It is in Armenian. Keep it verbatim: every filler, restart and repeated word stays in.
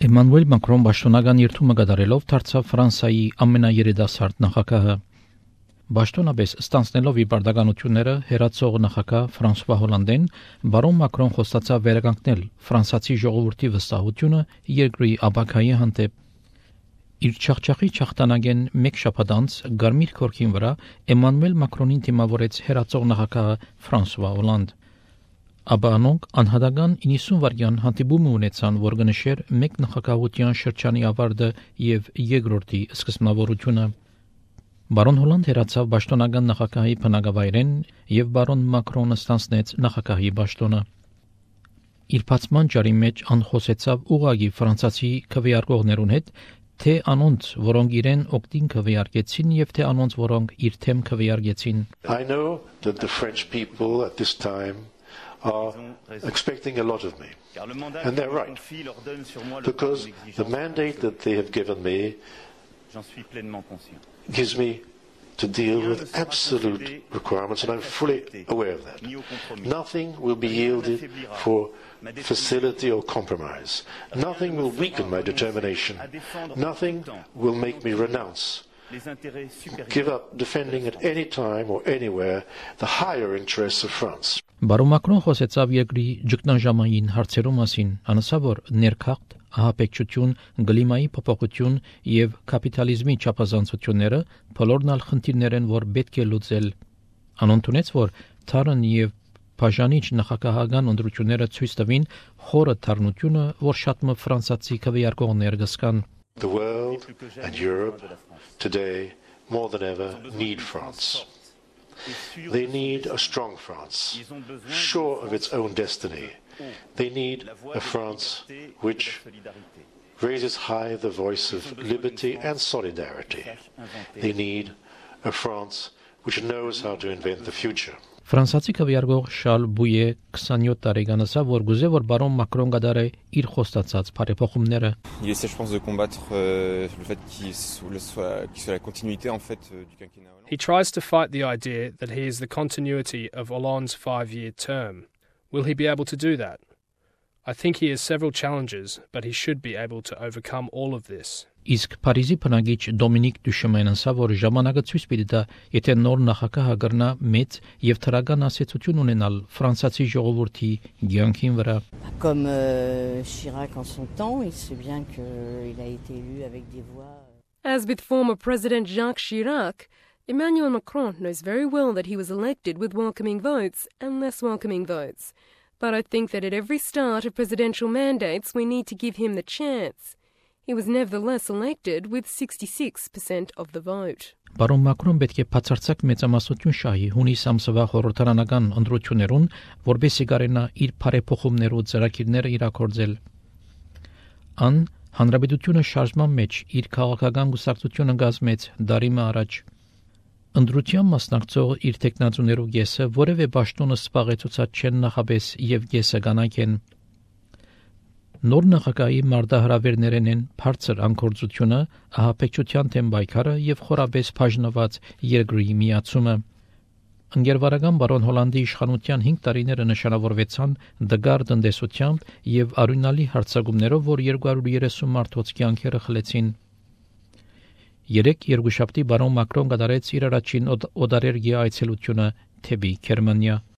Էմանուել Մակրոն պաշտոնական երթումը կատարելով դարձավ Ֆրանսիայի ամենաերիտասարդ նախագահը։ Պաշտոնապես ստանձնելով իր պարտականությունները հերացող նախագահ Ֆրանսուଆ Հոլանդեն բարոն Մակրոն խոստացավ վերականգնել ֆրանսիացի ժողովրդի վստահությունը երկրի ապագայի հանդեպ։ Իր չախչախի չախտանագեն մեկ շաբաթ անց Գարմիր քորքին վրա Էմանուել Մակրոնին դիմավորեց հերացող նախագահ Ֆրանսուଆ Հոլանդ։ Ապա անոնք անհատական իննսուն վայրկյան հանդիպում ունեցան, որ կնշեր մեկ նախագահության շրջանի ավարտը եւ երկրորդի սկզբնավորությունը։ Բարոն Հոլանդ հերացավ պաշտոնական նախագահի բնակավայրեն եւ բարոն Մակրոնը ստանձնեց նախագահի պաշտոնը։ Իր բացման ճարի մեջ անխոսեցավ ուղագի ֆրանսիացի քվեարկողներուն հետ, թե անոնց, որոնք իրեն օգտին քվեարկեցին եւ թե անոնց, որոնք իր թեմ քվեարկեցին։ I know that the French people at this time are expecting a lot of me. And they're right. Because the mandate that they have given me gives me to deal with absolute requirements, and I'm fully aware of that. Nothing will be yielded for facility or compromise. Nothing will weaken my determination. Nothing will make me renounce, give up defending at any time or anywhere the higher interests of France. Բարոն Մակրոն խոսեցավ երկրի ճգնաժամային հարցերու մասին, անասավ որ ներքաղթ, ահաբեկչություն, գլիմայի փոփոխություն եւ կապիտալիզմի չափազանցությունները բոլորն ալ խնդիրներ են, որ պետք է լուծել։ Անոնց որ թարն եւ բաժանիչ նախագահական ընտրությունները ցույց տվին խորը թարնությունը, որ շատ մը ֆրանսիացի քվեարկողներ գսկան։ The world and Europe today more than ever need France. They need a strong France, sure of its own destiny. They need a France which raises high the voice of liberty and solidarity. They need a France which knows how to invent the future. Ֆրանսիացի քվեարկող Շարլ Բույե twenty-seven տարեկանացավ, որ գուզե որ բարոն Մակրոն գդարե իր խոստացած բարեփոխումները։ Il essaie je pense de combattre euh, le fait qu'il soit qu'il soit la continuité en fait du quinquennat. He tries to fight the idea that he is the continuity of Hollande's five-year term. Will he be able to do that? I think he has several challenges, but he should be able to overcome all of this. Իսկ Փարիզի բնակիչ Դոմինիկ Դյուշեմենն ասա, որ ժամանակը ցույց պիտի տա, եթե նոր նախագահը գրնա մեծ եւ թրական ասացություն ունենալ ֆրանսիացի ժողովրդի ցանկին վրա։ Comme euh, Chirac en son temps, il sait bien qu'il a été élu avec des voix. As with former President Jacques Chirac, Emmanuel Macron knows very well that he was elected with welcoming votes and less welcoming votes. But I think that at every start of presidential mandates, we need to give him the chance. He was nevertheless elected with sixty-six percent of the vote. Բարոն Մակրոն պետք է բացարձակ մեծամասնություն շահի հունիս ամսվա խորհրդարանական ընտրություններուն, որբեսի կարենա իր բարեփոխումներու ծրագիրները իրագործել։ Ան հանրապետությունը շարժման մեջ իր քաղաքական գուսակցությունը գազմեց դարիմը առաջ։ Ընտրության մասնակցող իր տեխնացուներու գեսը որևէ պաշտոնը սպաղեցուցած չեն նախապես եւ գեսը կանայք են։ Նոր նախագահի մարտահրավերներն են բարձր անկորձությունը, ահաբեկչության թեմ պայքարը եւ խորաբես բաժնված երկրի միացումը։ Ընկերվարական բարոն Հոլանդի իշխանության five տարիները նշանավորվեցան դգար տնտեսությամբ եւ արյունալի հարձակումներով, որ two hundred thirty մարդոց կյանքերը խլեցին։ Երեք երկուշաբթի բարոն Մակրոն կատարեց իր առաջին օդարերգի այցելությունը թեպի Գերմանիա։